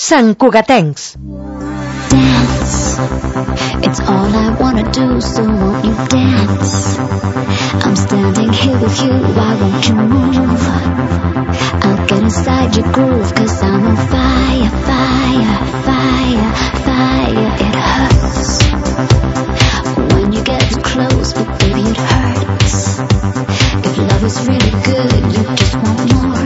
santcugatencs. Dance, it's all I wanna do, so won't you dance? I'm standing here with you, why won't you move? I'll get inside your groove, 'cause I'm on fire, fire, fire, fire. It hurts when you get too close, but baby it hurts. If love is really good, you just want more.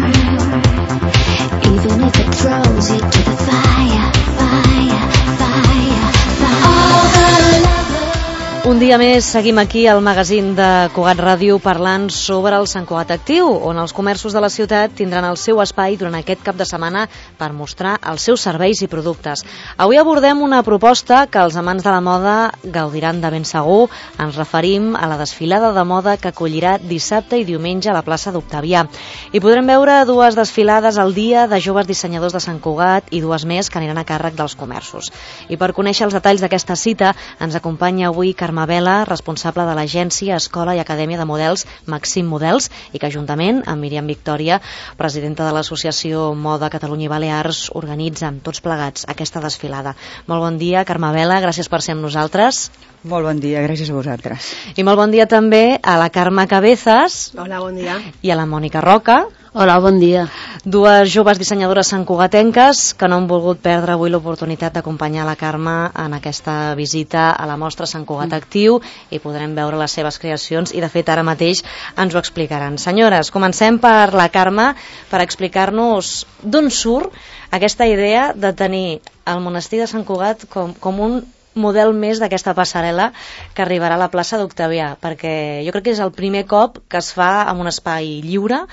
Even if it throws you to the fire, fire, fire, fire. All the lovers. Un dia més seguim aquí al magazín de Cugat Ràdio parlant sobre el Sant Cugat Actiu, on els comerços de la ciutat tindran el seu espai durant aquest cap de setmana per mostrar els seus serveis i productes. Avui abordem una proposta que els amants de la moda gaudiran de ben segur. Ens referim a la desfilada de moda que acollirà dissabte i diumenge a la plaça d'Octavià. Hi podrem veure dues desfilades al dia de joves dissenyadors de Sant Cugat i dues més que aniran a càrrec dels comerços. I per conèixer els detalls d'aquesta cita ens acompanya avui Carme Vela, responsable de l'agència, escola i acadèmia de models Maxim Models, i que juntament amb Míriam Victòria, presidenta de l'associació Moda Catalunya i Balears, organitzen tots plegats aquesta desfilada. Molt bon dia, Carme Vela, gràcies per ser amb nosaltres. Molt bon dia, gràcies a vosaltres. I molt bon dia també a la Carme Cabezas. Hola, bon dia. I a la Mònica Roca. Hola, bon dia. Dues joves dissenyadores santcugatenques que no han volgut perdre avui l'oportunitat d'acompanyar la Carme en aquesta visita a la mostra Sant Cugat Actiu, i podrem veure les seves creacions i de fet ara mateix ens ho explicaran. Senyores, comencem per la Carme per explicar-nos d'on surt aquesta idea de tenir el monestir de Sant Cugat com un model més d'aquesta passarel·la que arribarà a la plaça d'Octavià, perquè jo crec que és el primer cop que es fa en un espai lliure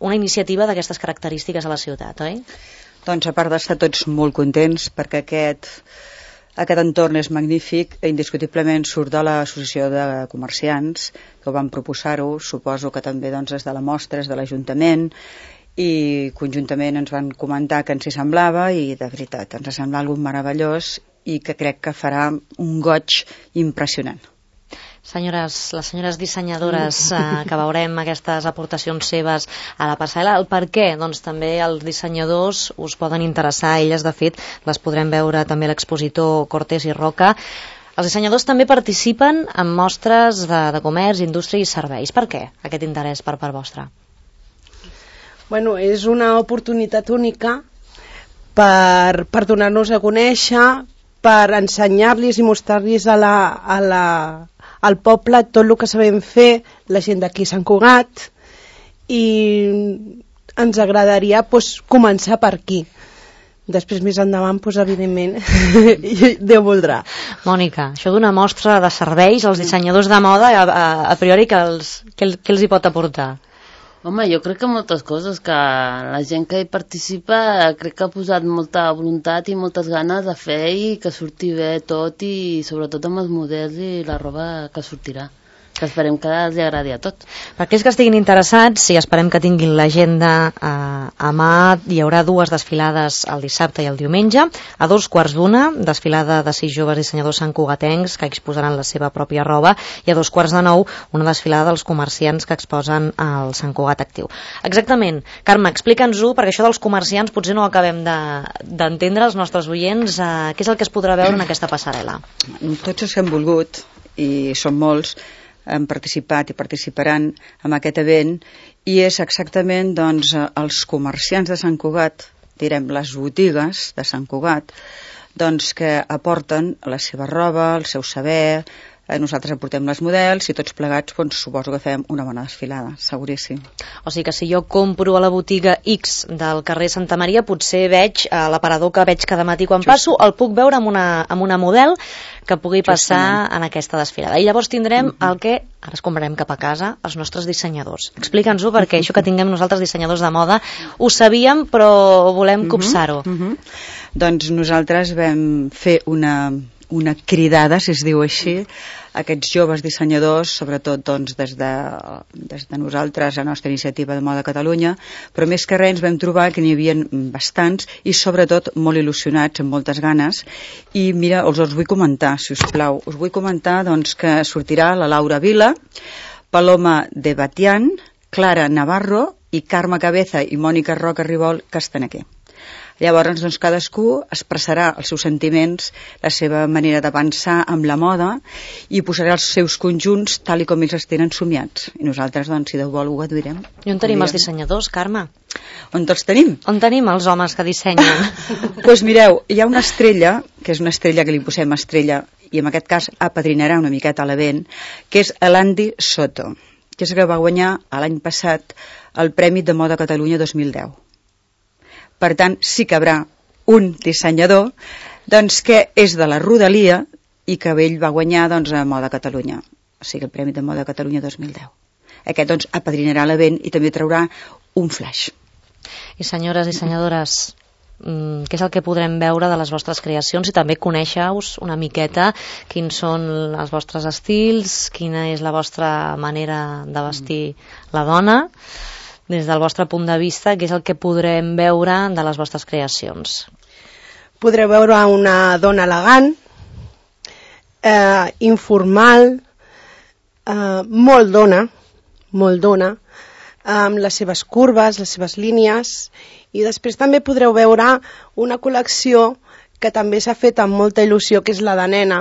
una iniciativa d'aquestes característiques a la ciutat, oi? Doncs a part d'estar tots molt contents perquè aquest entorn és magnífic, indiscutiblement surt de l'associació de comerciants que ho van proposar-ho, suposo que també doncs, és de la mostra, és de l'Ajuntament, i conjuntament ens van comentar que ens hi semblava, i de veritat ens sembla algo meravellós i que crec que farà un goig impressionant. Senyores, les senyores dissenyadores que veurem aquestes aportacions seves a la passarel·la, el per què? Doncs també els dissenyadors us poden interessar, elles de fet les podrem veure també l'expositor Cortés i Roca. Els dissenyadors també participen en mostres de comerç, indústria i serveis. Per què aquest interès per part vostra? Bueno, és una oportunitat única per donar-nos a conèixer, per ensenyar-los i mostrar-los al poble tot el que sabem fer, la gent d'aquí a Sant Cugat, i ens agradaria començar per aquí. Després, més endavant, evidentment, Déu voldrà. Mònica, això d'una mostra de serveis, els dissenyadors de moda, a priori, què els hi pot aportar? Home, jo crec que moltes coses, que la gent que hi participa crec que ha posat molta voluntat i moltes ganes de fer i que surti bé tot, i sobretot amb els models i la roba que sortirà, que esperem que els agradi a tot. Per aquells que estiguin interessats, i esperem que tinguin l'agenda a mà, hi haurà dues desfilades el dissabte i el diumenge. A 2:15, desfilada de 6 joves dissenyadors santcugatencs que exposaran la seva pròpia roba, i a 8:45 una desfilada dels comerciants que exposen el Sant Cugat Actiu. Exactament, Carme, explica'ns-ho, perquè això dels comerciants potser no ho acabem d'entendre els nostres oients. Què és el que es podrà veure en aquesta passarel·la? Tots els que han volgut, i són molts, han participat i participaran en aquest event, i és exactament doncs, els comerciants de Sant Cugat, direm les botigues de Sant Cugat, doncs, que aporten la seva roba, el seu saber. Nosaltres aportem les models i tots plegats suposo que fem una bona desfilada, seguríssim. O sigui que si jo compro a la botiga X del carrer Santa Maria, potser veig l'aparador que veig cada matí quan passo, el puc veure amb una model que pugui passar en aquesta desfilada. I llavors tindrem el que ara es comprarem cap a casa, els nostres dissenyadors. Explica'ns-ho, perquè això que tinguem nosaltres dissenyadors de moda ho sabíem, però volem copsar-ho. Doncs nosaltres vam fer una cridada, si es diu així, aquests joves dissenyadors, sobretot doncs, des de nosaltres, la nostra iniciativa de Moda Catalunya, però més que res ens vam trobar que n'hi havia bastants i sobretot molt il·lusionats, amb moltes ganes, i mira, us vull comentar, si us plau, us vull comentar doncs, que sortirà la Laura Vila, Paloma de Batián, Clara Navarro i Carme Cabeza i Mònica Roca Ribol, que estan aquí. Llavors, doncs, cadascú expressarà els seus sentiments, la seva manera de pensar amb la moda i posarà els seus conjunts tal i com ells els tenen somiats. I nosaltres, doncs, si Déu vol, ho aduirem. I on tenim els dissenyadors, Carme? On els tenim? On tenim els homes que dissenyen? Doncs mireu, hi ha una estrella, que és una estrella que li posem estrella, i en aquest cas apadrinarà una miqueta a l'event, que és l'Andy Soto, que és el que va guanyar l'any passat el Premi de Moda Catalunya 2010. Per tant, sí que hi haurà un dissenyador doncs, que és de la Rodalia i que ell va guanyar doncs, a Moda Catalunya, o sigui, el Premi de Moda Catalunya 2010. Aquest doncs, apadrinarà l'event i també traurà un flash. I senyores dissenyadores, què és el que podrem veure de les vostres creacions i també conèixer-vos una miqueta quins són els vostres estils, quina és la vostra manera de vestir la dona, des del vostre punt de vista, què és el que podrem veure de les vostres creacions? Podreu veure una dona elegant, informal, molt dona, amb les seves curves, les seves línies, i després també podreu veure una col·lecció que també s'ha fet amb molta il·lusió, que és la de nena.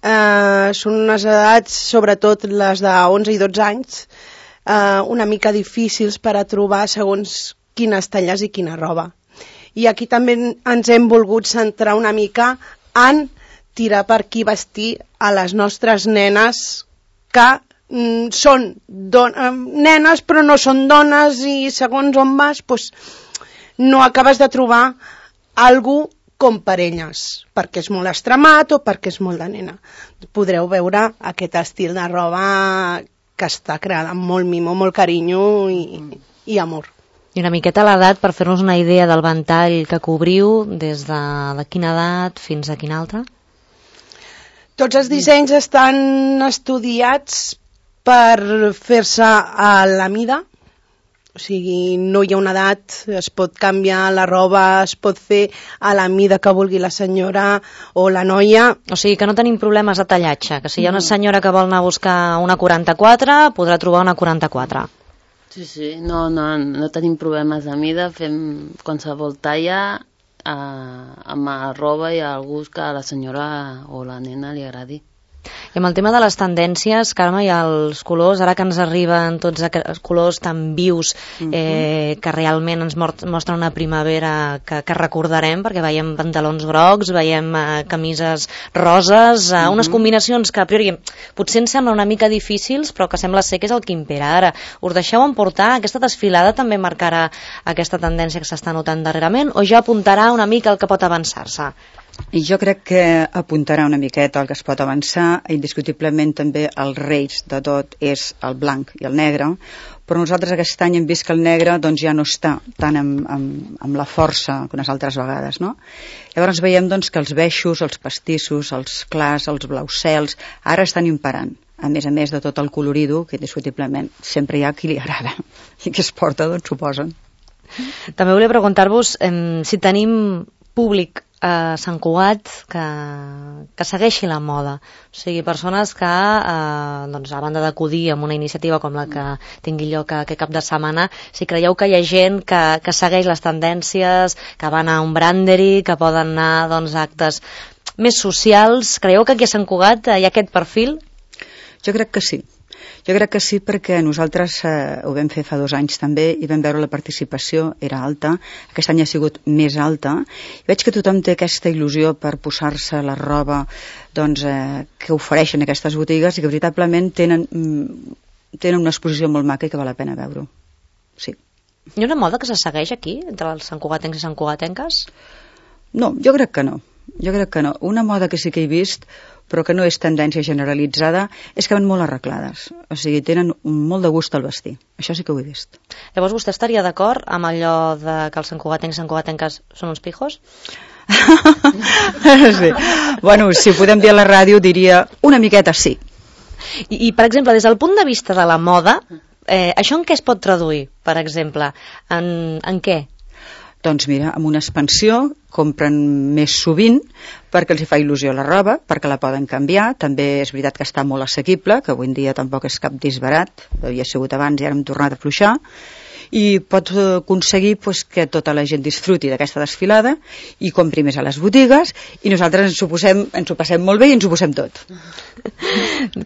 Són unes edats, sobretot les de 11 i 12 anys, una mica difícils per a trobar segons quines talles i quina roba. I aquí també ens hem volgut centrar una mica en tirar per aquí vestir a les nostres nenes que són nenes però no són dones i segons on vas doncs, no acabes de trobar algú com per elles, perquè és molt extremat o perquè és molt de nena. Podreu veure aquest estil de roba que està creada amb molt mimo, molt carinyo i amor. I una miqueta l'edat per fer-nos una idea del ventall que cobriu, des de quina edat fins a quina altra? Tots els dissenys estan estudiats per fer-se a la mida, o sigui, no hi ha una edat, es pot canviar la roba, es pot fer a la mida que vulgui la senyora o la noia. O sigui, que no tenim problemes de tallatge, que si hi ha una senyora que vol anar a buscar una 44, podrà trobar una 44. Sí, no tenim problemes de mida, fem qualsevol talla amb la roba i el gust que a la senyora o la nena li agradi. I amb el tema de les tendències, Carme, i els colors, ara que ens arriben tots aquests colors tan vius que realment ens mostren una primavera que recordarem, perquè veiem pantalons grocs, veiem camises roses, unes combinacions que a priori potser ens semblen una mica difícils, però que sembla ser que és el que impera ara. Us deixeu emportar? Aquesta desfilada també marcarà aquesta tendència que s'està notant darrerament o ja apuntarà una mica el que pot avançar-se? I jo crec que apuntarà una miqueta el que es pot avançar. Indiscutiblement també els reis de tot és el blanc i el negre, però nosaltres aquest any hem vist que el negre doncs, ja no està tan amb la força que unes altres vegades, no? Llavors veiem doncs, que els beixos, els pastissos, els clars, els blaus cels, ara estan imperant, a més de tot el colorido, que indiscutiblement sempre hi ha qui li agrada i que es porta, doncs, suposen. També volia preguntar-vos si tenim públic a Sant Cugat que segueixi la moda, o sigui, persones que doncs, a banda d'acudir amb una iniciativa com la que tingui lloc aquest cap de setmana, si creieu que hi ha gent que segueix les tendències, que va anar a un brandery, que poden anar doncs, a actes més socials, creieu que aquí a Sant Cugat hi ha aquest perfil? Jo crec que sí. Jo crec que sí, perquè nosaltres ho vam fer fa 2 anys també i vam veure la participació, era alta, aquest any ha sigut més alta, i veig que tothom té aquesta il·lusió per posar-se la roba doncs, que ofereixen aquestes botigues i que veritablement tenen una exposició molt maca i que val la pena veure-ho. Sí. Hi ha una moda que se segueix aquí, entre els santcugatencs i santcugatenques? No, jo crec que no. Una moda que sí que he vist, però que no és tendència generalitzada, és que van molt arreglades. O sigui, tenen molt de gust al vestir. Això sí que ho he vist. Llavors, vostè estaria d'acord amb allò de que els santcugatencs i santcugatenques són uns pijos? Sí. Bueno, si ho podem dir a la ràdio, diria una miqueta sí. I per exemple, des del punt de vista de la moda, això en què es pot traduir, per exemple? En què? Doncs mira, amb una expansió compren més sovint perquè els hi fa il·lusió la roba, perquè la poden canviar. També és veritat que està molt assequible, que avui en dia tampoc és cap disbarat, havia sigut abans i ara hem tornat a afluixar. i pot aconseguir pues, que tota la gent disfruti d'aquesta desfilada i compri més a les botigues, i nosaltres ens ho passem molt bé i ens ho posem tot.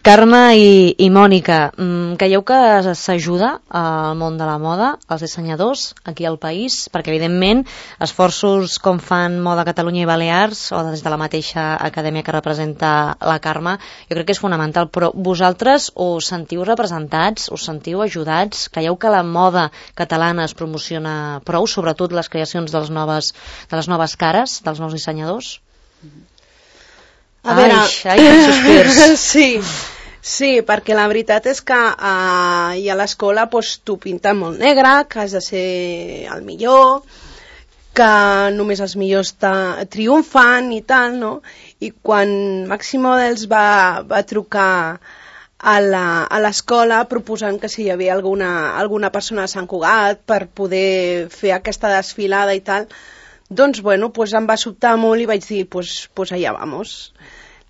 Carme i Mònica, creieu que s'ajuda al món de la moda, als dissenyadors aquí al país? Perquè evidentment esforços com fan Moda Catalunya i Balears, o des de la mateixa acadèmia que representa la Carme, jo crec que és fonamental, però vosaltres us sentiu representats, us sentiu ajudats? Creieu que la moda catalana es promociona prou, sobretot les creacions de les noves cares, dels nous dissenyadors? A veure, quins sospirs. Sí, perquè la veritat és que i a l'escola t'ho pinten molt negre, que has de ser el millor, que només els millors triomfen i tal, no? I quan Màxim Models va trucar a l'escola proposant que si hi havia alguna persona de Sant Cugat per poder fer aquesta desfilada i tal, doncs bueno, em va sobtar molt i vaig dir, pues allà vamos.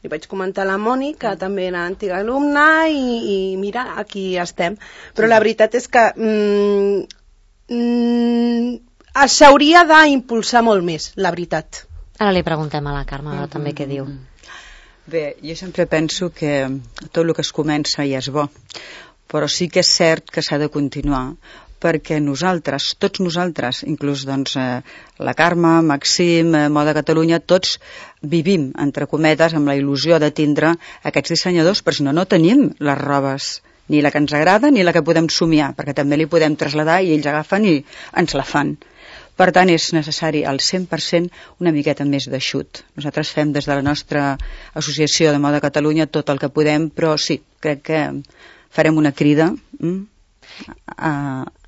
Li vaig comentar a la Moni, que també era antiga alumna, i mira, aquí estem. Però la veritat és que s'hauria d'impulsar molt més, la veritat. Ara li preguntem a la Carme, però també què diu. Bé, jo sempre penso que tot el que es comença ja és bo, però sí que és cert que s'ha de continuar, perquè nosaltres, tots nosaltres, inclús doncs, la Carme, Màxim, Moda Catalunya, tots vivim, entre cometes, amb la il·lusió de tindre aquests dissenyadors, però si no, no tenim les robes, ni la que ens agrada ni la que podem somiar, perquè també li podem traslladar i ells agafen i ens la fan. Per tant, és necessari al 100% una miqueta més d'eixut. Nosaltres fem des de la nostra associació de Moda Catalunya tot el que podem, però sí, crec que farem una crida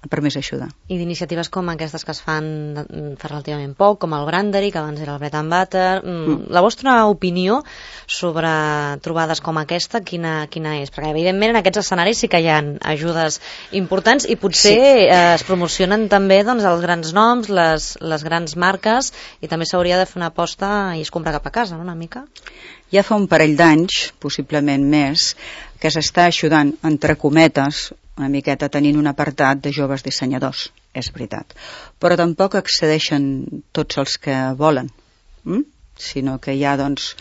per més ajuda. I d'iniciatives com aquestes que es fan fa relativament poc, com el Brandery, que abans era el Bread and Butter, la vostra opinió sobre trobades com aquesta, quina és? Perquè evidentment en aquests escenaris sí que hi ha ajudes importants i potser es promocionen també doncs, els grans noms, les grans marques, i també s'hauria de fer una aposta i es compra cap a casa, no? Una mica? Ja fa un parell d'anys, possiblement més, que s'està ajudant, entre cometes, una miqueta tenint un apartat de joves dissenyadors, és veritat. Però tampoc accedeixen tots els que volen, sinó que hi ha, doncs,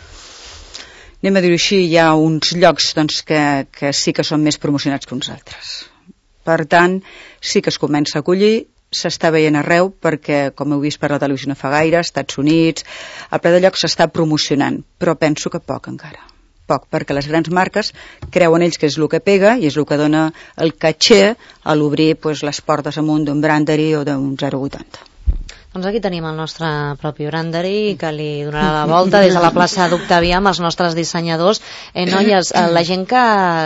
anem a dir-ho així, hi ha uns llocs doncs, que sí que són més promocionats que uns altres. Per tant, sí que es comença a acollir, s'està veient arreu, perquè, com heu vist per la televisió no fa gaire, Estats Units, al ple de lloc s'està promocionant, però penso que poc encara. Poc, perquè les grans marques creuen ells que és el que pega i és el que dona el caché a l'obrir les portes amunt d'un Brandery o d'un 080. Doncs aquí tenim el nostre propi Brandery, que li donarà la volta des de la plaça d'Octavià amb els nostres dissenyadors. Noies, la gent que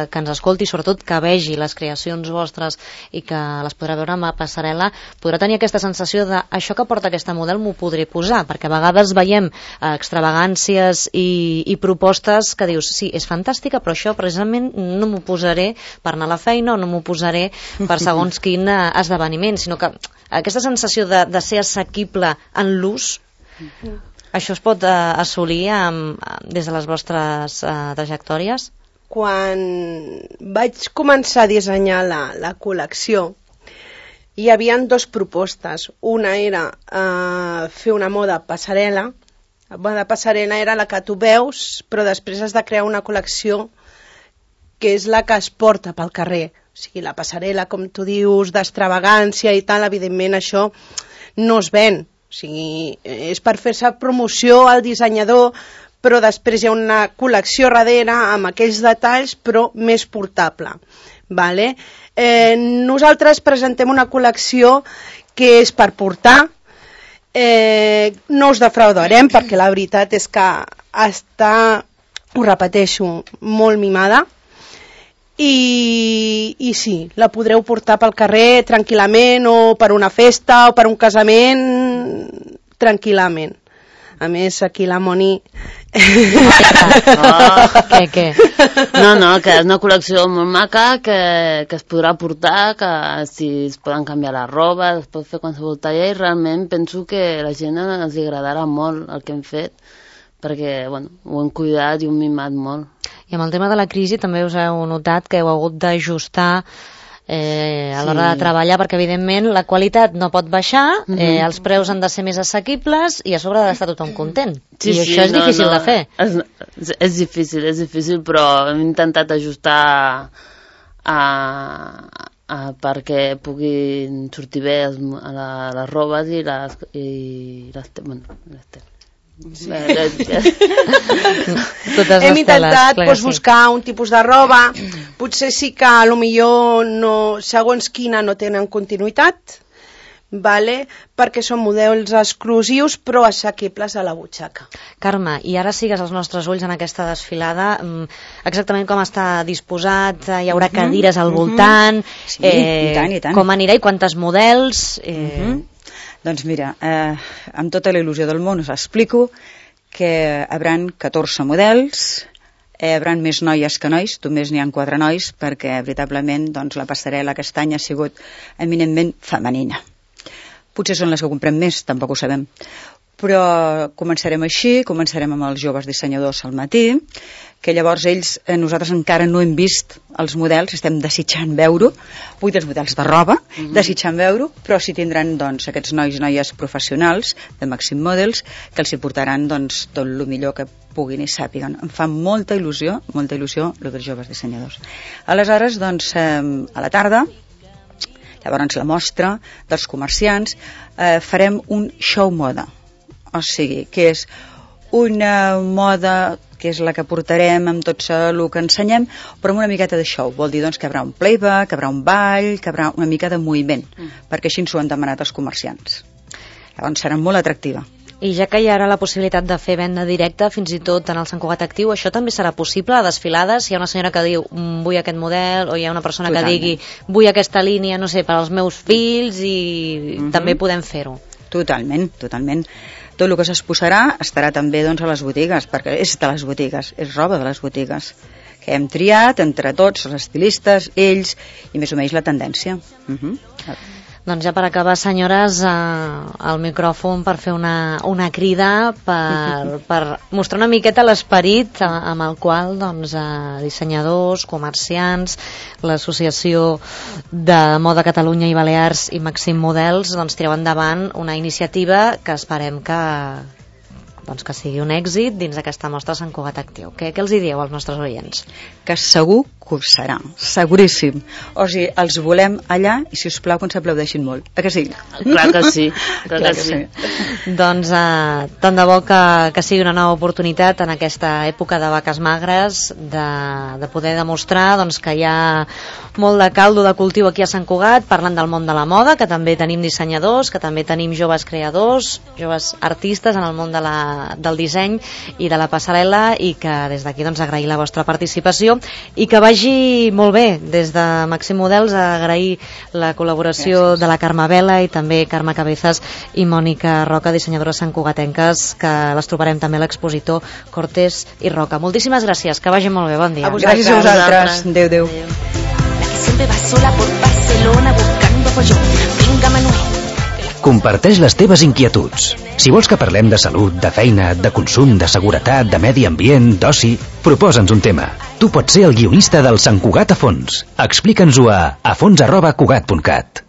ens escolti, sobretot que vegi les creacions vostres i que les podrà veure amb la passarel·la, podrà tenir aquesta sensació de això que porta aquesta model m'ho podré posar, perquè a vegades veiem extravagàncies i propostes que dius, sí, és fantàstica, però això precisament no m'ho posaré per anar a la feina o no m'ho posaré per segons quin esdeveniment, sinó que aquesta sensació de ser assequible en l'ús, això es pot assolir des de les vostres trajectòries? Quan vaig començar a dissenyar la col·lecció, hi havia dues propostes. Una era fer una moda passarel·la. La moda passarel·la era la que tu veus, però després has de crear una col·lecció que és la que es porta pel carrer. O sigui, la passarel·la, com tu dius, d'extravagància i tal, evidentment això no es ven. O sigui, és per fer-se promoció al dissenyador, però després hi ha una col·lecció darrere amb aquells detalls, però més portable. Vale? Nosaltres presentem una col·lecció que és per portar, no us defraudarem, perquè la veritat és que està, ho repeteixo, molt mimada, i sí, la podreu portar pel carrer tranquil·lament, o per una festa o per un casament tranquil·lament. A més, aquí la Moni... Què? No, que és una col·lecció molt maca, que es podrà portar, que si es poden canviar la roba, es pot fer qualsevol talla, i realment penso que a la gent els agradarà molt el que hem fet, perquè ho hem cuidat i ho hem mimat molt. I amb el tema de la crisi també us heu notat que heu hagut d'ajustar a l'hora de treballar, perquè evidentment la qualitat no pot baixar, els preus han de ser més assequibles i a sobre ha d'estar tothom content. I això és difícil de fer. És difícil, però hem intentat ajustar perquè puguin sortir bé les robes i les hem intentat buscar un tipus de roba, potser sí que potser segons quina no tenen continuïtat, perquè són models exclusius però assequibles a la butxaca. Carme, i ara sigues als nostres ulls en aquesta desfilada, exactament com està disposat, hi haurà cadires al voltant, i tant. Com anirà i quantes models... Doncs mira, amb tota la il·lusió del món us explico que hi haurà 14 models, hi haurà més noies que nois, només n'hi ha 4 nois, perquè veritablement la passarel·la aquest any ha sigut eminentment femenina. Potser són les que comprem més, tampoc ho sabem. Però començarem així, començarem amb els joves dissenyadors al matí, que llavors nosaltres encara no hem vist els models, estem desitjant veure-ho, vull dir els models de roba, desitjant veure-ho, però sí tindran aquests nois i noies professionals de Maxim Models, que els hi portaran tot el millor que puguin i sàpiguen. Em fa molta il·lusió el dels joves dissenyadors. Aleshores, a la tarda, llavors la mostra dels comerciants, farem un show moda, o sigui, que és una moda que és la que portarem amb tot el que ensenyem, però amb una miqueta de show. Vol dir que hi haurà un playback, que hi haurà un ball, que hi haurà una mica de moviment, perquè així ens ho han demanat els comerciants. Llavors serà molt atractiva. I ja que hi haurà la possibilitat de fer venda directa, fins i tot en el Sant Cugat Actiu, això també serà possible a desfilades? Si hi ha una senyora que diu vull aquest model, o hi ha una persona que digui vull aquesta línia, no sé, per als meus fills, i també podem fer-ho. Totalment. Tot el que s'exposarà estarà també a les botigues, perquè és de les botigues, és roba de les botigues, que hem triat entre tots, els estilistes, ells, i més o menys la tendència. Doncs ja per acabar, senyores, el micròfon per fer una crida per mostrar una miqueta l'esperit amb el qual dissenyadors, comerciants, l'Associació de Moda Catalunya i Balears i Maxim Models tireu endavant una iniciativa que esperem que sigui un èxit dins d'aquesta mostra Sant Cugat Actiu. Què els hi dieu als nostres oients? Que segur que ho serà, seguríssim. O sigui, els volem allà i, si us plau, que ens aplaudeixin molt. Que sí? Clar que sí. Doncs tant de bo que sigui una nova oportunitat en aquesta època de vaques magres de poder demostrar que hi ha molt de caldo de cultiu aquí a Sant Cugat, parlant del món de la moda, que també tenim dissenyadors, que també tenim joves creadors, joves artistes en el món del disseny i de la passarel·la, i que des d'aquí agrair la vostra participació i que vagi molt bé. Des de Maxim Models agrair la col·laboració de la Carme Vela i també Carme Cabezas i Mònica Roca, dissenyadores santcugatenques, que les trobarem també a l'expositor Cortés i Roca. Moltíssimes gràcies, que vagi molt bé, bon dia. Gràcies a vosaltres. Adéu. Siempre va sola por Barcelona buscando apoyo. Venga, Manuel. Comparteix les teves inquietuds. Si vols que parlem de salut, de feina, de consum, de seguretat, de medi ambient, d'oci, proposa'ns un tema. Tu pots ser el guionista del Sant Cugat a fons. Explica'ns-ho a fons@cugat.cat.